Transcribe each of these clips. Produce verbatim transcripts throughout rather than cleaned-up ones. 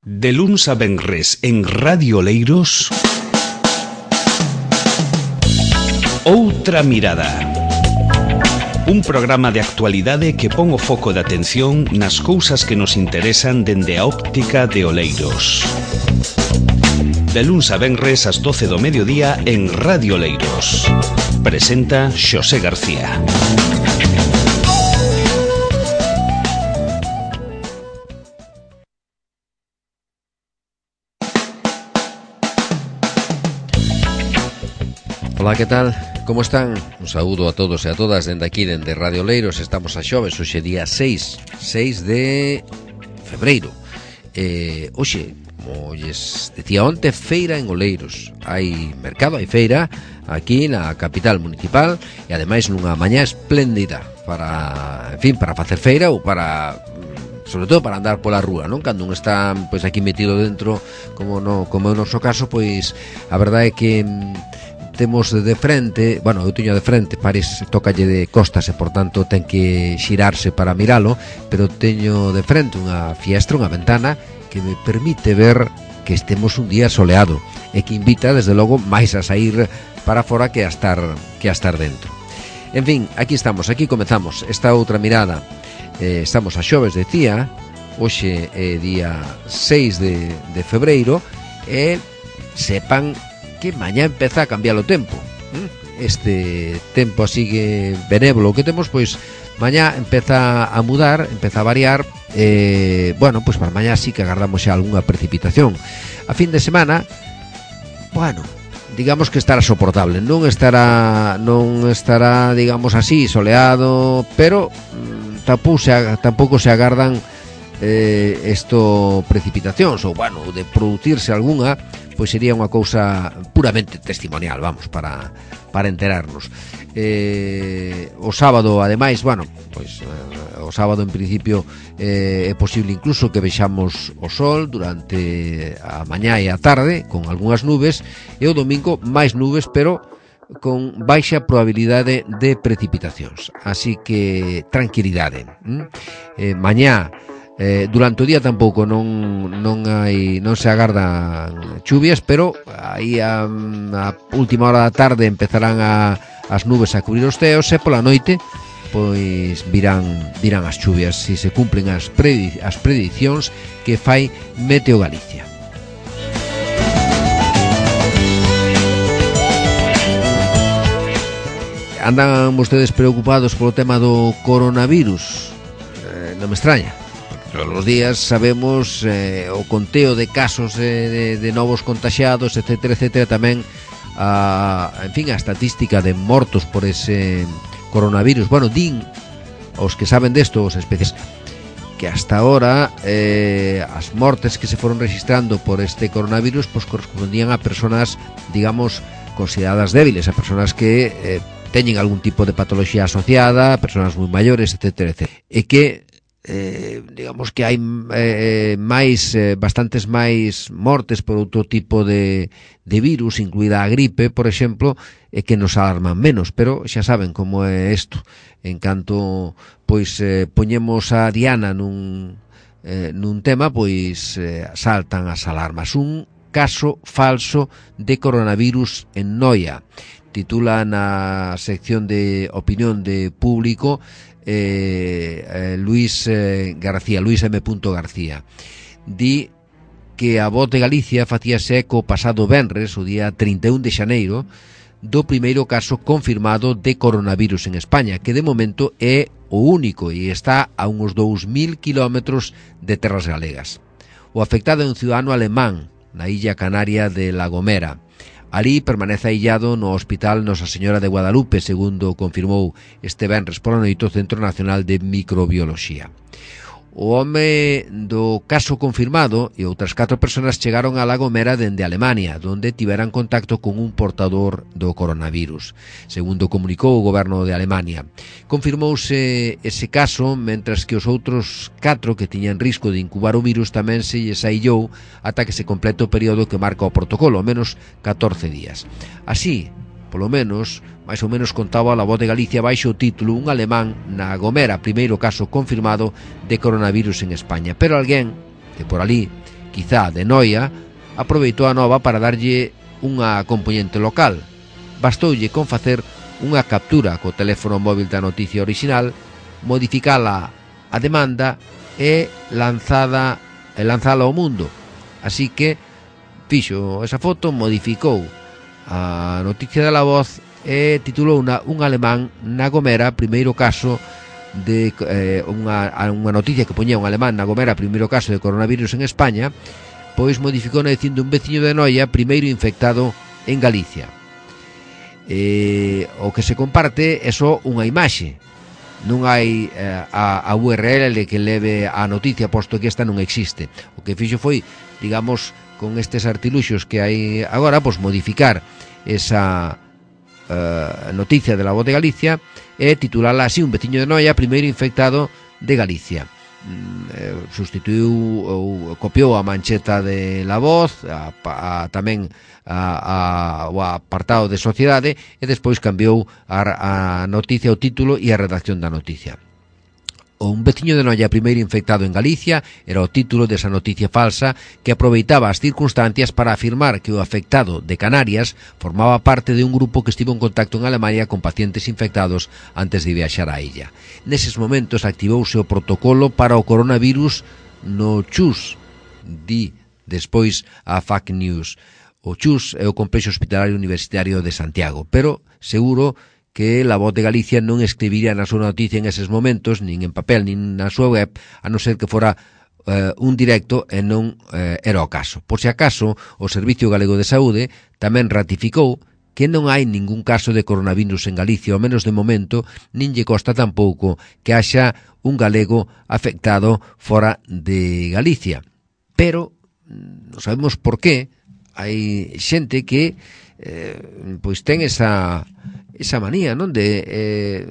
De luns a venres en Radio Oleiros, Outra Mirada. Un programa de actualidade que pon o foco de atención nas cousas que nos interesan dende a óptica de Oleiros. De luns a venres ás doce do mediodía en Radio Oleiros. Presenta Xosé García. Ola, que tal? Como están? Un saúdo a todos e a todas dende aquí, dende Radio Oleiros. Estamos a xoves, hoxe día seis de febreiro. eh, Hoxe, como lles decía onte, feira en Oleiros. Hai mercado, hai feira aquí na capital municipal e ademais nunha mañá espléndida para, en fin, para facer feira ou para, sobre todo para andar pola rúa, non? Cando un está pois aquí metido dentro, como no, como é o noso caso, pois a verdade é que temos de frente, bueno, eu teño de frente, París tócalle de costas e por tanto ten que xirarse para miralo, pero teño de frente unha fiestra, unha ventana que me permite ver que estemos un día soleado e que invita desde logo máis a sair para fora que a estar que a estar dentro. En fin, aquí estamos, aquí comezamos esta outra mirada. Eh, estamos a xoves, decía, hoxe é día seis de, de febreiro e sepan que mañá empeza a cambiar o tempo. Este tempo así que benévolo que temos, pois mañá empeza a mudar, empeza a variar. eh, Bueno, pois para mañá sí que agardamos xa algunha precipitación. A fin de semana, bueno, digamos que estará soportable. Non estará, non estará, digamos así, soleado, pero mm, tampouco se, tampouco se agardan eh, esto precipitacións, ou bueno, de producirse algunha, pois sería unha cousa puramente testimonial, vamos, para, para enterarnos. Eh, o sábado, ademais, bueno, pois eh, o sábado en principio eh, é posible incluso que vexamos o sol durante a mañá e a tarde con algunhas nubes, e o domingo máis nubes, pero con baixa probabilidade de precipitacións. Así que tranquilidade. ¿Mm? Eh, mañá Eh, durante o día tampouco non non hai non se agardan chuvias, pero aí a, a última hora da tarde empezarán a, as nubes a cubrir os ceos e pola noite pois virán virán as chuvias se se cumplen as, predi, as predicións que fai Meteo Galicia. Andan vostedes preocupados polo tema do coronavirus? Eh, non me extraña. Todos os días sabemos eh, o conteo de casos eh, de, de novos contaxiados, etcétera, etcétera. Tamén a, en fin, a estatística de mortos por ese coronavirus. Bueno, din os que saben desto, os especies, que hasta ahora eh, as mortes que se foron registrando por este coronavirus pues correspondían a personas, digamos, consideradas débiles, a personas que eh, teñen algún tipo de patoloxía asociada, personas moi maiores, etcétera, etcétera. E que Eh, digamos que hai eh, máis eh, bastantes máis mortes por outro tipo de, de virus, incluída a gripe, por exemplo, e que nos alarman menos, pero xa saben como é isto. En canto pois eh, poñemos a diana nun, eh, nun tema, pois eh, saltan as alarmas. Un caso falso de coronavirus en Noia, titula na sección de opinión de Público Eh, eh, Luis eh, García, Luis M. García. Di que a Voz de Galicia facíase eco pasado venres, o día trinta e un de xaneiro, do primeiro caso confirmado de coronavirus en España, que de momento é o único e está a uns dous mil kilómetros de terras galegas. O afectado é un ciudadano alemán na illa canaria de La Gomera. Ali permanece aillado no Hospital Nosa Señora de Guadalupe, segundo confirmou este venres pola noite o Centro Nacional de Microbioloxía. O home do caso confirmado e outras catro persoas chegaron a La Gomera dende Alemania, donde tiveran contacto con un portador do coronavirus, segundo comunicou o goberno de Alemania. Confirmouse ese caso, mentras que os outros catro que tiñan risco de incubar o virus tamén se lles aillou ata que se complete o período que marca o protocolo, ao menos catorce días. Así, polo menos, máis ou menos contaba a Voz de Galicia baixo o título "Un alemán na Gomera, primeiro caso confirmado de coronavirus en España". Pero alguén de por ali quizá de noia, aproveitou a nova para darlle unha componente local. Bastoulle con facer unha captura co teléfono móvil da noticia orixinal, modificala a demanda e lanzada e lanzala ao mundo. Así que fixo esa foto, modificou a noticia da La Voz e titulou una, un alemán na Gomera, primeiro caso de eh, unha, unha noticia que poñía un alemán na Gomera, primeiro caso de coronavirus en España, pois modificou dicindo un veciño de Noia, primeiro infectado en Galicia. Eh, o que se comparte é só unha imaxe, non hai eh, a, a U R L que leve a noticia, posto que esta non existe. O que fixo foi, digamos, con estes artiluxos que hai agora, pois modificar esa uh, noticia de La Voz de Galicia e titulala así: un veciño de Noia, primeiro infectado de Galicia. Mm, eh, sustituiu ou copiou a mancheta de La Voz, a, a, tamén a, a, o apartado de sociedade, e despois cambiou a, a noticia, o título e a redacción da noticia. Un veciño de Noia, primeiro infectado en Galicia, era o título desa noticia falsa que aproveitaba as circunstancias para afirmar que o afectado de Canarias formaba parte de un grupo que estivo en contacto en Alemania con pacientes infectados antes de viaxar á illa. Neses momentos activouse o protocolo para o coronavirus no Chus, di despois a Fake News. O Chus é o Complexo Hospitalario Universitario de Santiago, pero seguro que La Voz de Galicia non escribiría na súa noticia en eses momentos, nin en papel, nin na súa web, a non ser que fora eh, un directo e non eh, era o caso. Por se acaso, o Servicio Galego de Saúde tamén ratificou que non hai ningún caso de coronavirus en Galicia, ao menos de momento, nin lle costa tampouco que haxa un galego afectado fora de Galicia. Pero non sabemos por qué hai xente que eh, pois ten esa esa manía, non, de eh,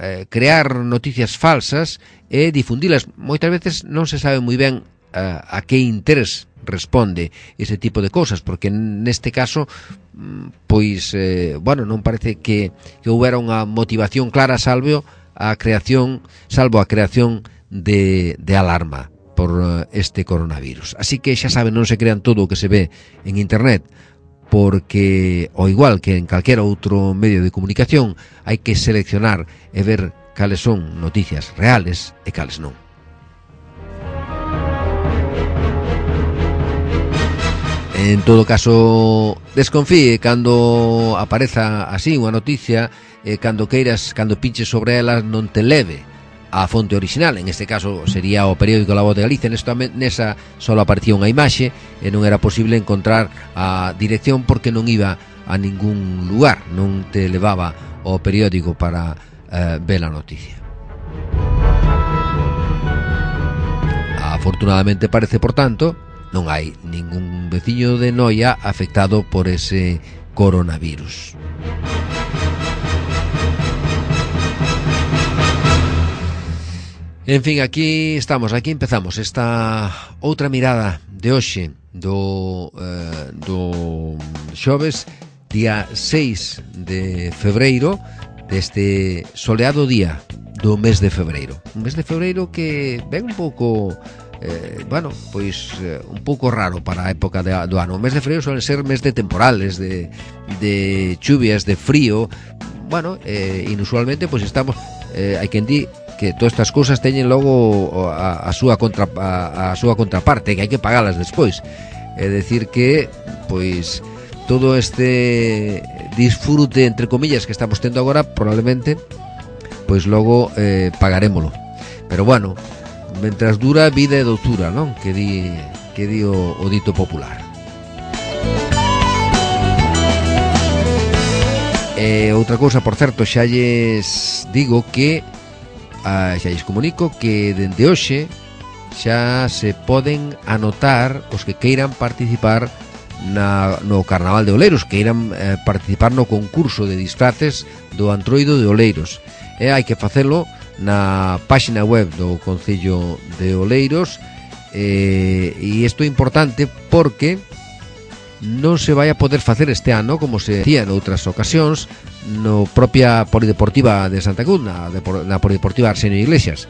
eh, crear noticias falsas e difundilas. Moitas veces non se sabe moi ben eh, a que interés responde ese tipo de cousas, porque neste caso pois, eh, bueno, non parece que, que houbera unha motivación clara salvo a creación salvo a creación de, de alarma por este coronavirus. Así que xa saben, non se crean todo o que se ve en internet, porque, ao igual que en calquera outro medio de comunicación, hai que seleccionar e ver cales son noticias reales e cales non. En todo caso, desconfíe cando apareza así unha noticia, e cando queiras, cando pinches sobre ela, non te leve a fonte original. En este caso sería o periódico La Voz de Galicia. Nesta, nesa só aparecía unha imaxe e non era posible encontrar a dirección porque non iba a ningún lugar, non te levaba ao periódico para eh, ver a noticia. Afortunadamente parece, por tanto, non hai ningún veciño de Noia afectado por ese coronavirus. En fin, aquí estamos, aquí empezamos esta outra mirada de hoxe do, eh, do xoves, día seis de febreiro, deste soleado día do mes de febreiro. Un mes de febreiro que ven un pouco, eh, bueno, pois eh, un pouco raro para a época de, do ano. O mes de febreiro suele ser mes de temporales, de, de chuvias, de frío. Bueno, eh, inusualmente, pois estamos, eh, hai quen di que todas estas cousas teñen logo a, a súa contra, a, a súa contraparte, que hai que pagalas despois. É decir que, pois, todo este disfrute, entre comillas, que estamos tendo agora, probablemente, pois logo eh, pagarémolo. Pero bueno, mentras dura, vida e doutura, non? Que di, que di o, o dito popular. E outra cousa, por certo, xa lles digo que Ah, xa lles comunico que dende hoxe xa se poden anotar os que queiran participar na, no Carnaval de Oleiros, que queiran eh, participar no concurso de disfraces do Antroido de Oleiros. E hai que facelo na páxina web do Concello de Oleiros, eh, e isto é importante porque non se vai a poder facer este ano como se decía noutras ocasións no propia Polideportiva de Santa Cruz, na, na Polideportiva Arsenio Iglesias.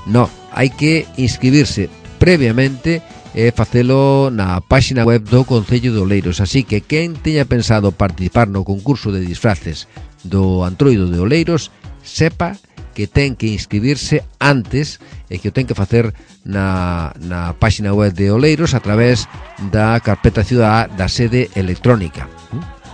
No, hai que inscribirse previamente é facelo na páxina web do Concello de Oleiros. Así que quen teña pensado participar no concurso de disfraces do Antroido de Oleiros, sepa que ten que inscribirse antes e que o ten que facer na, na páxina web de Oleiros a través da carpeta cidadá da sede electrónica.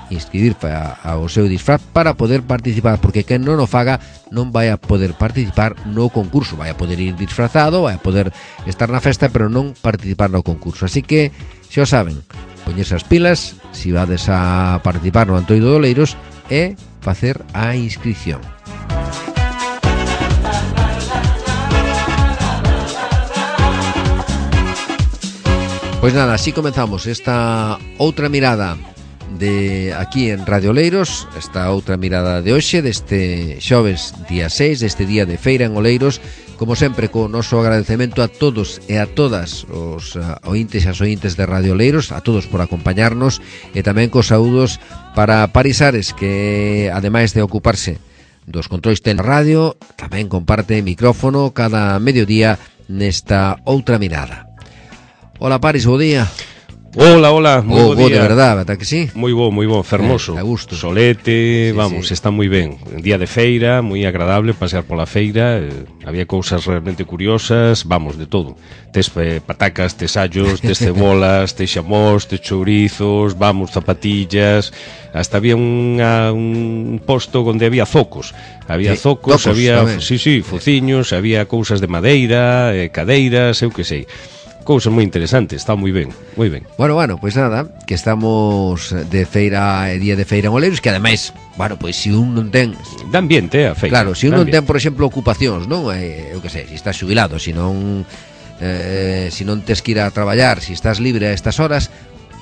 Inscribir ao seu disfraz para poder participar, porque quen non o faga non vai a poder participar no concurso. Vai a poder ir disfrazado, vai a poder estar na festa, pero non participar no concurso. Así que, xa o saben, poñerse as pilas se vades a participar no Antroido de Oleiros e facer a inscripción. Pois nada, así comenzamos esta outra mirada de aquí en Radio Oleiros, esta outra mirada de hoxe, deste xoves día seis, deste día de feira en Oleiros, como sempre, co noso agradecemento a todos e a todas os uh, ointes e as ointes de Radio Oleiros, a todos por acompañarnos, e tamén cos saúdos para Paris Ares, que ademais de ocuparse dos controis ten radio, tamén comparte micrófono cada mediodía nesta outra mirada. Hola Paris, bo día. Hola, hola, moi oh, bo día. De verdade, ata que sí? Moi bo, moi bo, fermoso. Eh, a gusto. Solete, sí, vamos, sí. Está moi ben. Un día de feira, moi agradable pasear pola feira. Eh, había cousas realmente curiosas, vamos, de todo. Tes eh, patacas, tes allos, tes cebolas, tes xamós, tes chourizos, vamos, zapatillas. Hasta había unha, un posto onde había zocos. Había sí, zocos, tocos, había, tamén. sí, sí, fociños, había cousas de madeira, eh, cadeiras, eu que sei. Cousas moi interesantes, está moi ben, moi ben. Bueno, bueno, pois pues nada, que estamos de feira, día de feira en Oleiros, que ademais, bueno, pois pues, se un non ten... Da ambiente a feira. Claro, se un non ten, por exemplo, ocupacións, non? Eh, eu que sei, se estás xubilado, se non eh, se non tes que ir a traballar, se estás libre a estas horas,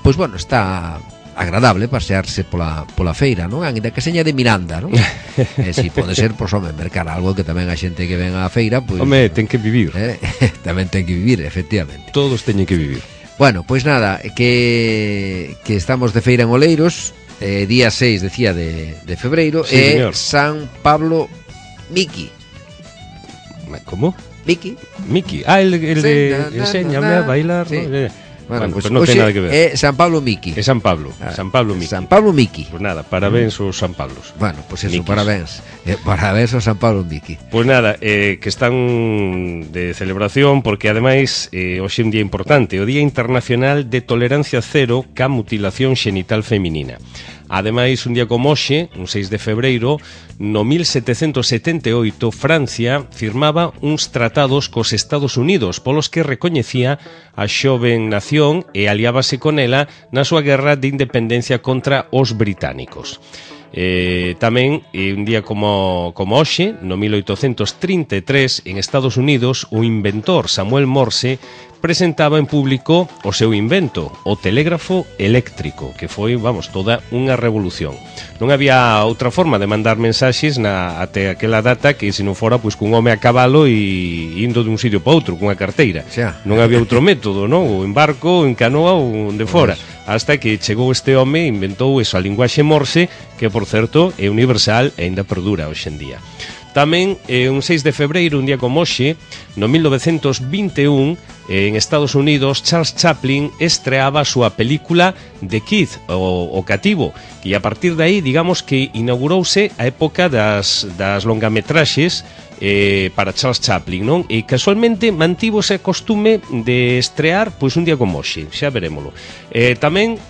pois pues, bueno, está agradable pasearse pola, pola feira, non? Ainda que seña de Miranda, non? E se si pode ser, pois, home, mercar algo que tamén a xente que ven á feira, pois... Home, ten que vivir. Eh, tamén ten que vivir, efectivamente. Todos teñen que vivir. Bueno, pois nada, que que estamos de feira en Oleiros, eh, día seis, decía, de, de febreiro, sí, e señor. San Pablo Miki. Como? Miki. Miki. Ah, el, el Sí, de na, na, enséñame na, a bailar. sí. ¿no? Eh, Bueno, bueno, pues, pues non ten nada que ver. É San Pablo Miki. É San Pablo, Ah, San Pablo Miki. San Pablo Miki. Pues nada, parabéns aos San Pablos. Bueno, pues eso, Mikis. parabéns. Eh, parabéns ao San Pablo Miki. Pues nada, eh, que están de celebración porque ademais eh, hoxe é un día importante, o Día Internacional de Tolerancia Cero ca Mutilación Xenital Feminina. Ademais, un día como hoxe, un seis de febreiro, no mil setecentos setenta e oito, Francia firmaba uns tratados cos Estados Unidos polos que recoñecía a xoven nación e aliábase con ela na súa guerra de independencia contra os británicos. Eh, tamén, eh, un día como, como hoxe, no mil oitocentos trinta e tres, en Estados Unidos, o inventor Samuel Morse presentaba en público o seu invento, o telégrafo eléctrico, que foi, vamos, toda unha revolución. Non había outra forma de mandar mensaxes na, até aquela data que se non fora pois cun home a cabalo e indo dun sitio para outro, cunha carteira. Xa. Non había outro método, non? Ou en barco, en canoa ou onde fora. Hasta que chegou este home e inventou esa linguaxe Morse, que, por certo, é universal e ainda perdura hoxe en día. Tamén, eh, un seis de febreiro, un día como hoxe, no mil novecentos vinte e un, eh, en Estados Unidos, Charles Chaplin estreaba a súa película The Kid, o, o cativo, e a partir de aí, digamos que inaugurouse a época das, das longametraxes eh, para Charles Chaplin, non? E casualmente mantivo ese costume de estrear pois un día como hoxe, xa verémolo. Eh, tamén,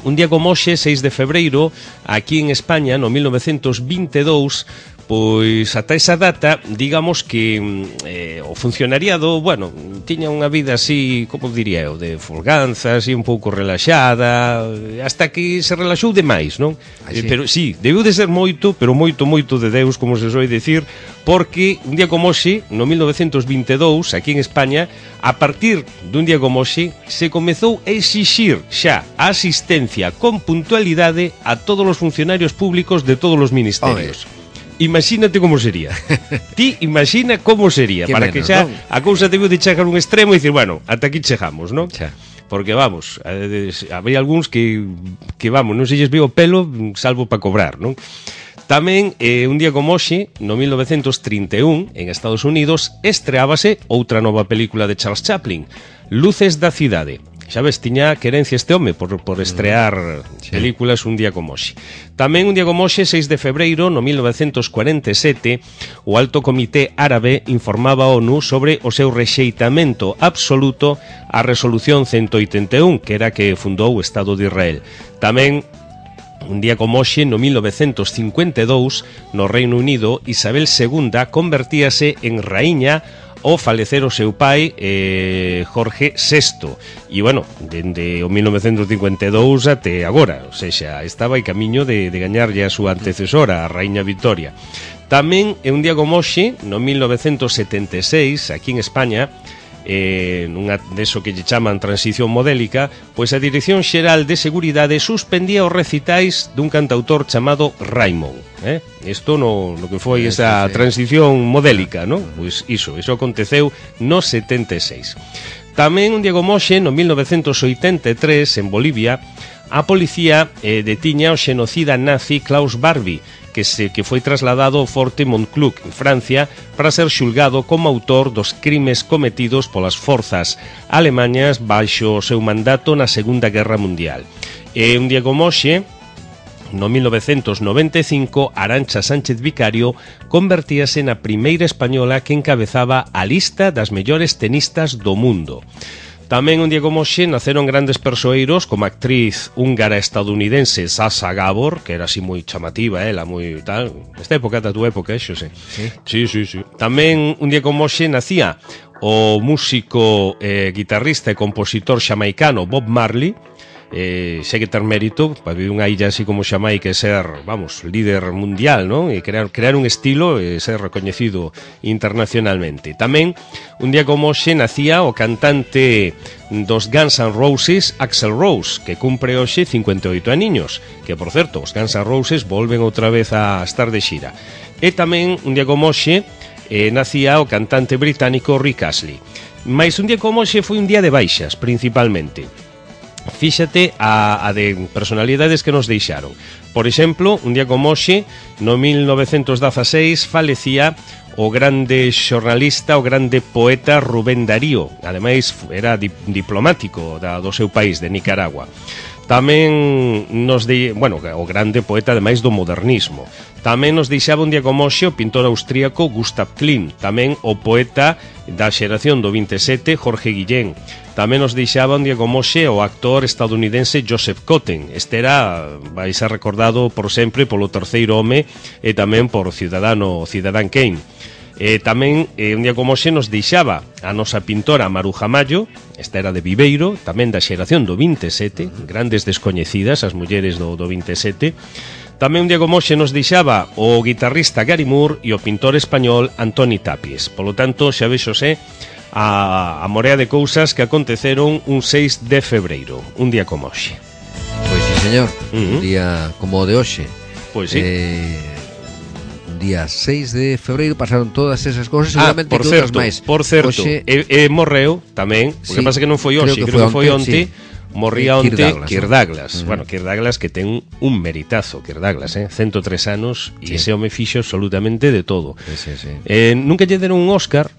un día como hoxe, seis de febreiro, aquí en España, no mil novecentos vinte e dous, pois ata esa data, digamos que eh, o funcionariado, bueno, tiña unha vida así, como diría eu, de folganza, así un pouco relaxada, hasta que se relaxou demais, non? Así. Eh, pero sí, debeu de ser moito, pero moito, moito de Deus, como se soe dicir, porque un día como hoxe, no mil novecentos vinte e dous, aquí en España, a partir dun día como hoxe, se comezou a exixir xa a asistencia con puntualidade a todos os funcionarios públicos de todos os ministerios. Oye. Imagínate como sería. Ti imagina como sería. Que para menos, que xa non? a cousa debeu de chegar a un extremo e dicir, bueno, ata aquí chegamos, non? Xa. Porque vamos, eh, había algúns que, que vamos, non se lles veo o pelo salvo para cobrar, non? Tamén, eh, un día como hoxe, no mil novecentos trinta e un, en Estados Unidos, estreábase outra nova película de Charles Chaplin, Luces da cidade. Xa ves, tiña querencia este home por, por estrear sí. películas un día como hoxe. Tamén un día como hoxe, seis de febreiro, no mil novecentos cuarenta e sete, o Alto Comité Árabe informaba a ONU sobre o seu rexeitamento absoluto á Resolución ciento oitenta e un, que era que fundou o Estado de Israel. Tamén un día como hoxe, no mil novecentos cincuenta e dous, no Reino Unido, Isabel segunda convertíase en raíña ao falecer o seu pai, eh, Jorge sexto. E, bueno, dende o mil novecentos cincuenta e dous até agora, ou seja, estaba aí camiño de, de gañarlle a súa antecesora, a Raíña Victoria. Tamén, é un día como hoxe, no mil novecentos setenta e seis, aquí en España, eh, nunha deso que lle chaman transición modélica, pois a Dirección Xeral de Seguridade suspendía os recitais dun cantautor chamado Raimon. Eh? Isto no, no que foi esa transición modélica, non? Pois iso, iso aconteceu no setenta e seis. Tamén un día como hoxe, no mil novecentos oitenta e tres, en Bolivia, a policía eh, detiña o xenocida nazi Klaus Barbie, que, se, que foi trasladado ao Forte Montclús, en Francia, para ser xulgado como autor dos crimes cometidos polas forzas alemañas baixo o seu mandato na Segunda Guerra Mundial. E un día como hoxe, no mil novecentos noventa e cinco, Arantxa Sánchez Vicario convertíase na primeira española que encabezaba a lista das mellores tenistas do mundo. Tamén un día como hoxe naceron grandes persoeiros como a actriz húngara estadounidense Sasha Gabor, que era así moi chamativa, ela moi tal, esta época da túa época, xo sei. Sí, sí, sí, sí. Tamén un día como hoxe nacía o músico, eh, guitarrista e compositor xamaicano Bob Marley. Eh, sei que ter mérito para vivir unha illa así como Xamaica e ser, vamos, líder mundial, non? E crear, crear un estilo e ser recoñecido internacionalmente. Tamén, un día como hoxe, nacía o cantante dos Guns N' Roses, Axl Rose, que cumpre hoxe cincuenta e oito aniños, que, por certo, os Guns N' Roses volven outra vez a estar de xira. E tamén, un día como hoxe, eh, nacía o cantante británico Rick Astley. Mais un día como hoxe foi un día de baixas, principalmente. Fíxate a, a de personalidades que nos deixaron. Por exemplo, un día como hoxe, no mil novecentos dezaseis, falecía o grande xornalista, o grande poeta Rubén Darío. Ademais, era di, diplomático da, do seu país, de Nicaragua. Tamén nos de, bueno, o grande poeta ademais do modernismo. Tamén nos deixaba un día como hoxe o pintor austríaco Gustav Klimt, tamén o poeta da xeración do vinte e sete Jorge Guillén. Tamén nos deixaba un día como hoxe o actor estadounidense Joseph Cotten. Este era, vais a recordado por sempre polo Terceiro Home e tamén por Ciudadano Ciudadán Kane. E tamén eh, un día como hoxe nos deixaba a nosa pintora Maruja Mallo, esta era de Viveiro, tamén da xeración do vinte e sete, grandes descoñecidas as mulleres do, do vinte e sete. Tamén un día como hoxe nos deixaba o guitarrista Gary Moore e o pintor español Antoni Tapies. Polo tanto, xa vexo xe a, a morea de cousas que aconteceron un seis de febreiro, un día como hoxe. Pois sí, señor, uh-huh. Un día como o de hoxe. Pois sí. Eh... día seis de febreiro pasaron todas esas cousas, ah, seguramente por que certo, outras máis. Por certo, Oxe... e, e morreu tamén, o sí, que pasa que non foi hoxe, creo que, creo que foi onte, sí. Morría onte Kirk Douglas. Uh-huh. Bueno, Kirk Douglas que ten un meritazo, Kirk Douglas, eh? ciento tres anos e sí. Ese home fixo absolutamente de todo. Sí, sí, sí. Eh, nunca lle deron un Óscar,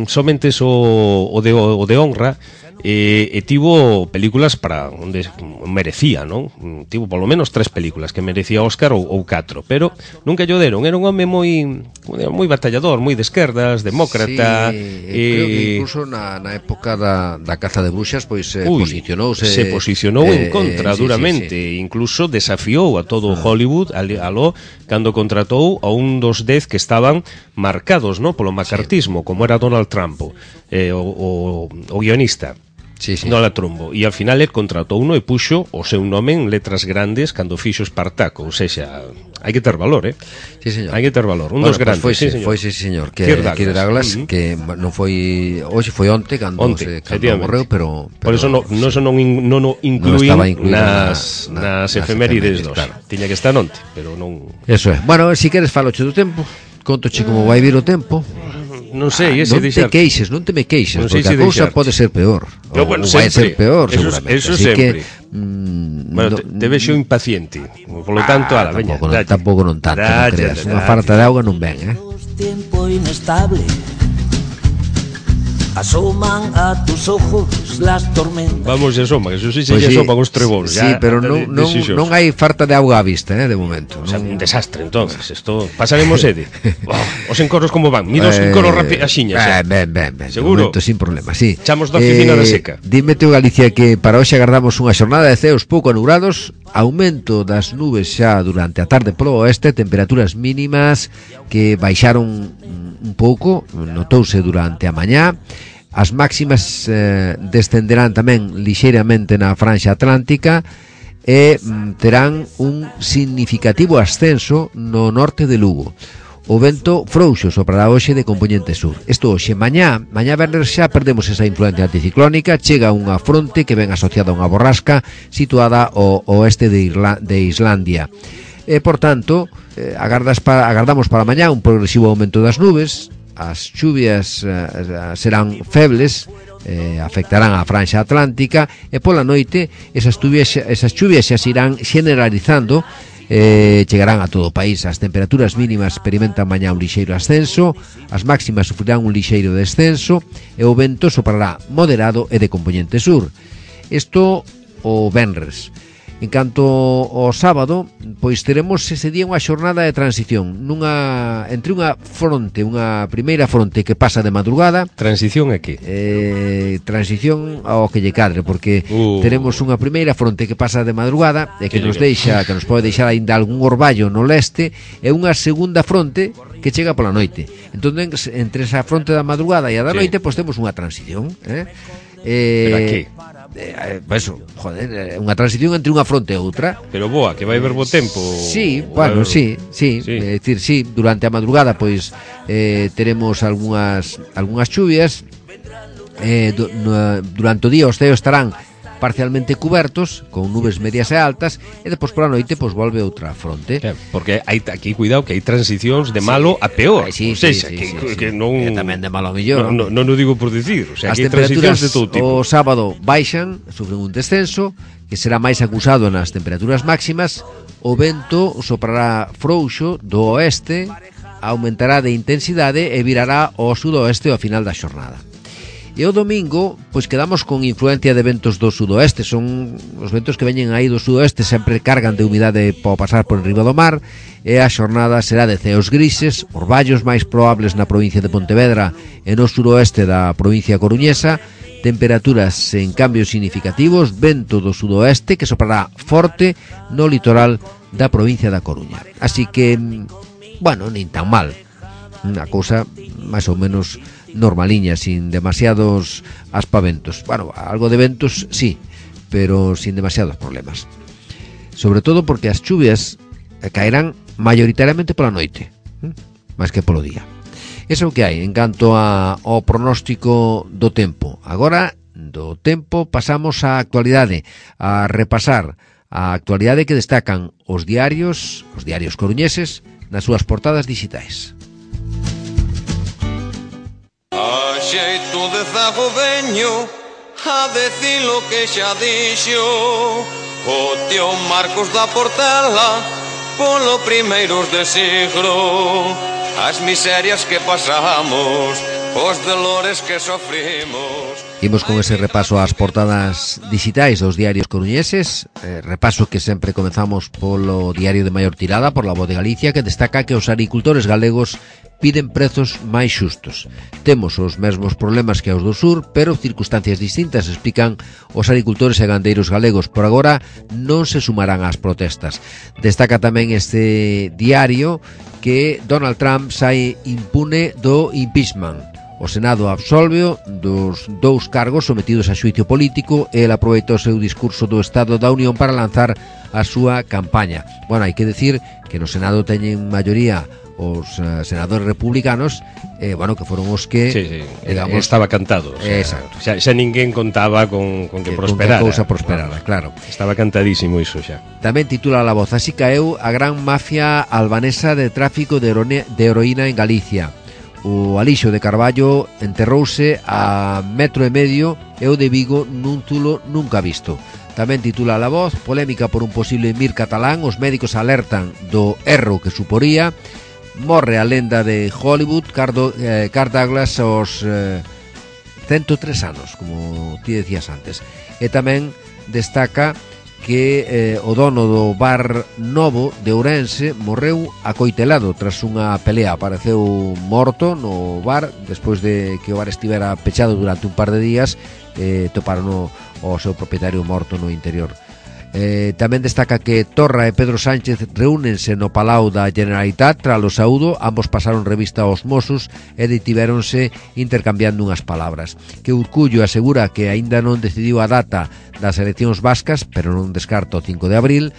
somente o, o, de, o de honra, e, e tivo películas para onde merecía, non? Tivo polo menos tres películas que merecía Óscar ou, ou catro, pero nunca lle deron. Era un home moi moi batallador, moi de esquerdas, demócrata. Sí, e... creo que incluso na, na época da, da caza de bruxas pois eh, Uy, posicionouse se posicionou eh, en contra eh, duramente, sí, sí, sí. Incluso desafiou a todo ah. Hollywood aló cando contratou a un dos dez que estaban marcados, no, polo macartismo, sí. Como era Donald Trump, eh, o, o, o guionista. Sí, sí. No la trombo. E ao final el contratou uno e puxo o seu nome en letras grandes cando fixo Espartaco. Ou sexa, hai que ter valor, eh? Sí, señor. Hai que ter valor. Un bueno, dos grandes. Pues foi, sí, señor. Foi, sí, señor. Que Kirk Douglas, Douglas uh-huh. que non foi... Hoxe foi onte cando, onte, se, cando morreu, pero, pero... Por eso no, no, sí. non, non o incluín no nas, na, nas, nas efemérides dos. Claro. Tiña que estar onte, pero non... Eso é. Bueno, se si queres faloche do tempo, contoche como vai vir o tempo... Non sei, ah, non te queixes, non te me queixes, non porque a cousa pode ser peor. No, bueno, ou vai ser peor, eso, seguramente. Eso así sempre. Que, mm, bueno, no, te, te vexo impaciente. Por lo tanto, ah, ala, veña. Tampouco, non, tampouco non tanto, non creas. Unha falta de auga non ven, eh? Tiempo inestable. asoman a tus ojos las tormentas. Vamos, asoma, que eso sí se Pues lle sí, asoman os trebóns. sí, pero non, non, non hai falta de auga á vista, eh, de momento. O sea, non... un desastre, entonces, esto pasaremos sede. Oh, os encoros como van, mira os encoros rápido a xiñas. Eh, ben, ben, ben, de Seguro. momento sin problema, sí. Chamos da oficina da seca. Dime teu, Galicia, que para hoxe agardamos unha xornada de ceos pouco anubrados, aumento das nubes xa durante a tarde polo oeste, temperaturas mínimas que baixaron un pouco, notouse durante a mañá. As máximas eh, descenderán tamén lixeiramente na franxa atlántica e mm, terán un significativo ascenso no norte de Lugo. O vento frouxo soprará hoxe de compoñente sur. Isto hoxe, mañá, mañá verles xa perdemos esa influencia anticiclónica, chega unha fronte que ven asociada a unha borrasca situada ao oeste de, Irla, de Islandia. E, por tanto, eh, agardas para, agardamos para mañá un progresivo aumento das nubes. As chuvias eh, serán febles, eh, afectarán a franxa atlántica e pola noite esas chuvias, esas chuvias xa se irán generalizando, eh, chegarán a todo o país. As temperaturas mínimas experimentan mañá un lixeiro ascenso, as máximas sufrirán un lixeiro descenso e o vento soprará moderado e de compoñente sur. Isto o venres. En canto ao sábado, pois teremos ese día unha xornada de transición nunha entre unha fronte, unha primeira fronte que pasa de madrugada. Transición é que? Eh, transición ao que lle cadre, porque uh. teremos unha primeira fronte que pasa de madrugada e que, que nos deixa, que nos pode deixar aínda algún orballo no leste, e unha segunda fronte que chega pola noite. Entón, entre esa fronte da madrugada e a da sí. noite, pois temos unha transición, eh? Eh, Pero a que? Eh, pues, joder, unha transición entre unha fronte e outra. Pero boa, que vai ver bo tempo. Sí, bueno, sí, sí, sí. É dicir, sí, durante a madrugada pois eh, teremos algunhas algunhas chuvias. Eh, do, no, durante o día os ceos estarán parcialmente cubertos con nubes medias e altas e depois pola noite pois volve outra fronte. Eh, porque hai aquí cuidado que hai transicións de malo sí. a peor. Ay, sí, o sea, sí, sí, que, sí, que sí. non Que tamén de malo a millor. Non no, no, no digo por dicir, o sea, as que hai transicións de todo tipo. O sábado baixan, sufren un descenso que será máis acusado nas temperaturas máximas. O vento soprará frouxo do oeste, aumentará de intensidade e virará ao sudoeste ao final da xornada. E o domingo, pois quedamos con influencia de ventos do sudoeste. Son os ventos que veñen aí do sudoeste, sempre cargan de humidade para pasar por enriba do mar, e a xornada será de ceos grises, orballos máis probables na provincia de Pontevedra e no suroeste da provincia coruñesa, temperaturas en cambios significativos, vento do sudoeste que soprará forte no litoral da provincia da Coruña. Así que, bueno, nin tan mal. Unha cousa máis ou menos normaliña, sin demasiados aspaventos. Bueno, algo de ventos sí, pero sin demasiados problemas. Sobre todo porque as chuvias caerán maioritariamente pola noite, máis que polo día. Eso é o que hai en canto a, ao pronóstico do tempo. Agora, do tempo pasamos á actualidade, a repasar a actualidade que destacan os diarios, os diarios coruñeses, nas súas portadas digitais. A xeito de zago veño a decir lo que xa dixo o tío Marcos da Portela polo primeiros de siglo, as miserias que pasamos, os dolores que sofrimos. Imos con ese repaso ás portadas digitais dos diarios coruñeses, eh, repaso que sempre comezamos polo diario de maior tirada, por La Voz de Galicia, que destaca que os agricultores galegos piden prezos máis xustos. Temos os mesmos problemas que os do sur, pero circunstancias distintas, explican os agricultores e gandeiros galegos. Por agora non se sumarán ás protestas. Destaca tamén este diario que Donald Trump sai impune do impeachment. O Senado absolveo dos dous cargos sometidos a xuicio político e el aproveitou o seu discurso do Estado da Unión para lanzar a súa campaña. Bueno, hai que decir que no Senado teñen maioría os uh, senadores republicanos, eh, bueno, que foron os que sí, sí. digamos, estaba cantado, o sea, exacto. Xa, xa ninguén contaba con, con que, que prosperara, con que a cousa prosperara, claro. Estaba cantadísimo iso xa. Tamén titula La Voz: así caeu a gran mafia albanesa de tráfico de, herone, de heroína en Galicia. O Alixo de Carballo enterrouse a metro e medio e o de Vigo nun zulo nunca visto. Tamén titula La Voz: polémica por un posible mir catalán, os médicos alertan do erro que suporía. Morre a lenda de Hollywood, Cardo, eh, Kirk Douglas, os, eh, cento tres anos, como ti decías antes. E tamén destaca que eh, o dono do bar Novo de Ourense morreu acoitelado tras unha pelea. Apareceu morto no bar despois de que o bar estivera pechado durante un par de días. eh, toparon o, o seu propietario morto no interior. Eh, tamén destaca que Torra e Pedro Sánchez reúnense no Palau da Generalitat tras o saúdo. Ambos pasaron revista aos Mossos e detivéronse intercambiando unhas palabras. Que Urcullo asegura que aínda non decidiu a data das eleccións vascas, pero non descarta o cinco de abril.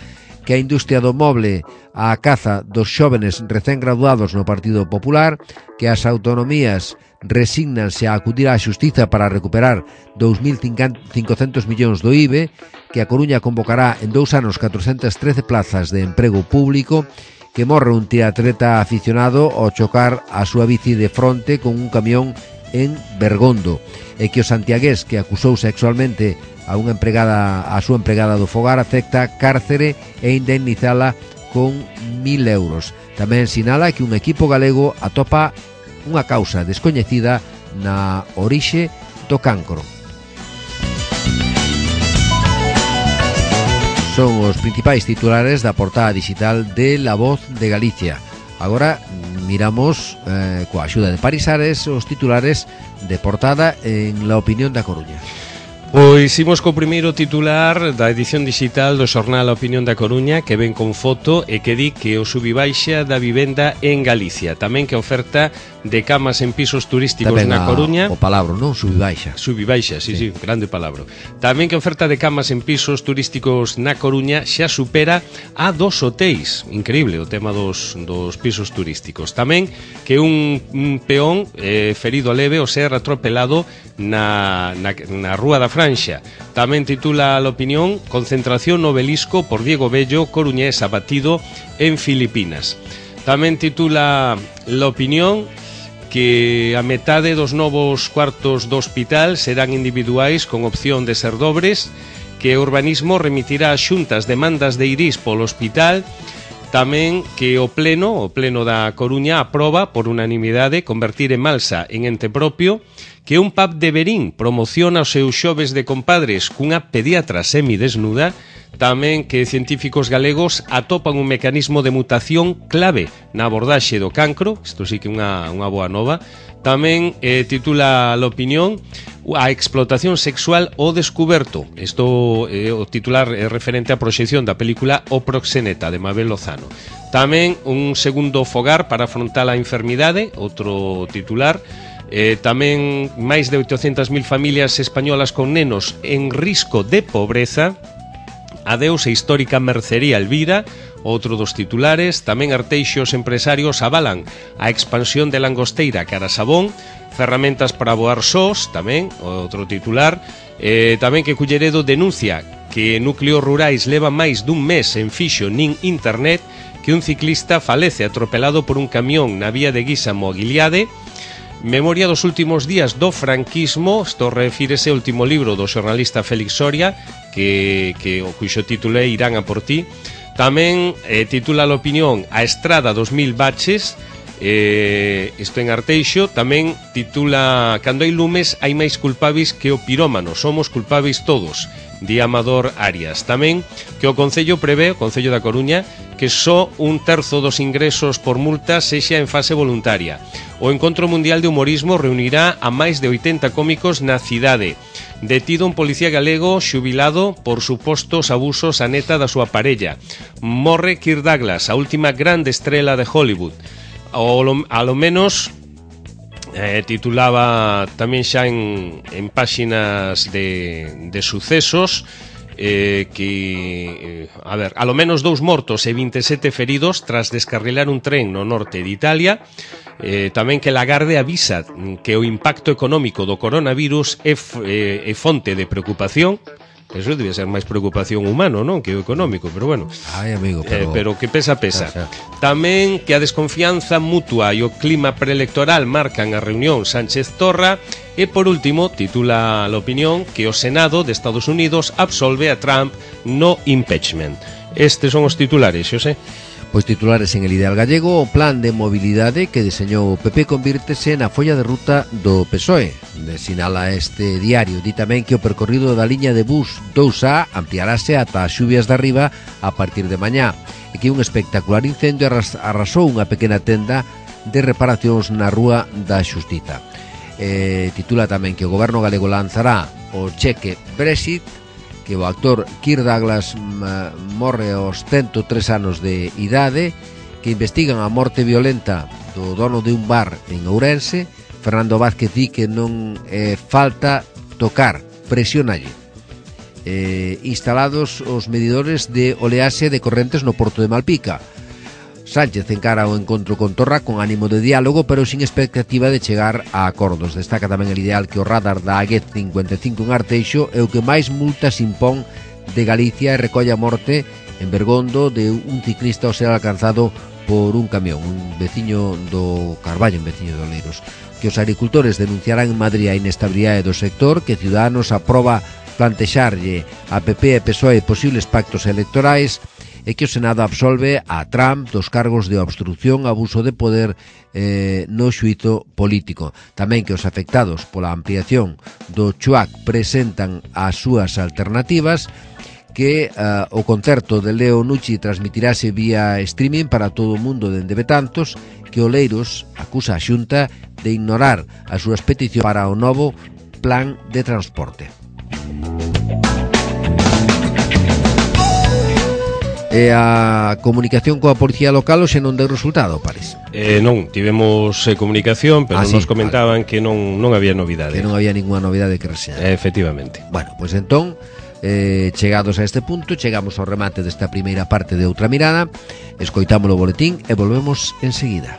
Que a industria do moble a caza dos xóvenes recén graduados no Partido Popular. Que as autonomías resígnanse a acudir á xustiza para recuperar dous mil cincocentos millóns do I B E, que a Coruña convocará en dous anos catrocentas trece plazas de emprego público, que morre un triatleta aficionado ao chocar a súa bici de fronte con un camión en Bergondo, e que o santiagués que acusou sexualmente a unha empregada a súa empregada do fogar acepta cárcere e indemnizala con mil euros. Tamén sinala que un equipo galego atopa unha causa descoñecida na orixe do cancro. Son os principais titulares da portada digital de La Voz de Galicia. Agora miramos eh, coa axuda de Parisares os titulares de portada en La Opinión da Coruña. Pois imos co primeiro titular da edición digital do xornal A Opinión da Coruña, que ven con foto e que di que o subibaixa da vivenda en Galicia. Tamén que oferta de camas en pisos turísticos tamén na Coruña. O palabra, non? Subibaixa. Subibaixa, sí, sí, sí, grande palabra. Tamén que oferta de camas en pisos turísticos na Coruña xa supera a dos hotéis. Increíble o tema dos, dos pisos turísticos. Tamén que un, un peón eh, ferido leve o ser atropelado na, na, na Rúa da Franxa. Tamén titula a opinión: concentración no Obelisco por Diego Bello, coruñés abatido en Filipinas. Tamén titula a opinión que a metade dos novos cuartos do hospital serán individuais con opción de ser dobres, que o urbanismo remitirá a xuntas demandas de Irís polo hospital. Tamén que o pleno, o pleno da Coruña aproba por unanimidade convertir en Malsa en ente propio, que un pub de Verín promociona os seus xoves de compadres cunha pediatra semidesnuda. Tamén que científicos galegos atopan un mecanismo de mutación clave na abordaxe do cancro. Isto sí que é unha, unha boa nova. Tamén eh, titula a opinión: a explotación sexual ao descuberto. Isto é eh, o titular é referente á proxección da película O Proxeneta de Mabel Lozano. Tamén un segundo fogar para afrontar a enfermidade, outro titular. Eh, tamén máis de oitocentas mil familias españolas con nenos en risco de pobreza. Adeus a histórica mercería Elvira, outro dos titulares. Tamén arteixos empresarios avalan a expansión de Langosteira cara Sabón. Ferramentas para voar sós, tamén, outro titular. Eh, tamén que Culleredo denuncia que núcleos rurais leva máis dun mes en fixo nin internet, que un ciclista falece atropelado por un camión na vía de Guísamo a Guiliade. Memoria dos últimos días do franquismo, isto refírese ao último libro do xornalista Félix Soria, que, que o cuxo título é Irán a por ti. Tamén eh, titula a opinión: a estrada dos mil baches, eh, isto en Arteixo. Tamén titula: cando hai lumes hai máis culpables que o pirómano, somos culpables todos, di Amador Arias. Tamén que o Concello prevé, o Concello da Coruña, que só un terzo dos ingresos por multa sexa en fase voluntaria. O Encontro Mundial de Humorismo reunirá a máis de oitenta cómicos na cidade. Detido un policía galego xubilado por supostos abusos a neta da súa parella. Morre Kirk Douglas, a última grande estrela de Hollywood. O, a lo menos eh, titulaba tamén xa en, en páxinas de, de sucesos, eh, que, eh, a ver, a lo menos dous mortos e vinte e sete feridos tras descarrilar un tren no norte de Italia. Eh, tamén que Lagarde avisa que o impacto económico do coronavirus é, é, é fonte de preocupación. Eso debe ser máis preocupación humano, non? Que o económico, pero bueno. Ai, amigo, pero... Eh, pero que pesa, pesa. Xa, xa. Tamén que a desconfianza mutua e o clima preelectoral marcan a reunión Sánchez-Torra. E por último, titula a opinión que o Senado de Estados Unidos absolve a Trump no impeachment. Estes son os titulares, Xosé. Pois titulares en El Ideal Gallego, o plan de mobilidade que deseñou o P P convírtese na folla de ruta do P S O E. Sinala este diario. Di tamén que o percorrido da liña de bus dous A ampliarase ata as xubias de arriba a partir de mañá, e que un espectacular incendio arrasou unha pequena tenda de reparacións na Rúa da Xustiza. Eh, titula tamén que o goberno galego lanzará o cheque Brexit, que o actor Kirk Douglas morre aos ciento tres anos de idade, que investigan a morte violenta do dono de un bar en Ourense. Fernando Vázquez di que non é falta tocar, presionalle. Eh, instalados os medidores de oleaxe de correntes no porto de Malpica. Sánchez encara o encontro con Torra con ánimo de diálogo, pero sin expectativa de chegar a acordos. Destaca tamén El Ideal que o radar da A G cincuenta e cinco en Arteixo é o que máis multas impón de Galicia e recolle a morte en Bergondo de un ciclista ao ser alcanzado por un camión, un veciño do Carballo, un veciño de Oleiros. Que os agricultores denunciarán en Madrid a inestabilidade do sector, que Ciudadanos aproba plantexarlle a P P e P S O E posibles pactos electorais, e que o Senado absolve a Trump dos cargos de obstrucción, abuso de poder eh, no xuízo político. Tamén que os afectados pola ampliación do Chuac presentan as súas alternativas, que uh, o concerto de Leo Nucci transmitirase vía streaming para todo o mundo dende Betantos, que Oleiros acusa a Xunta de ignorar as súas peticións para o novo plan de transporte. E a comunicación coa policía local hoxe non deu resultado, parece. Eh, non, tivemos eh, comunicación, pero ah, nos sí, comentaban vale. que non, non había novidade. Que non había ninguna novidade que reseñar. Eh, efectivamente. Bueno, pois pues entón, eh, chegados a este punto, chegamos ao remate desta primeira parte de Outra Mirada, escoitamos o boletín e volvemos enseguida.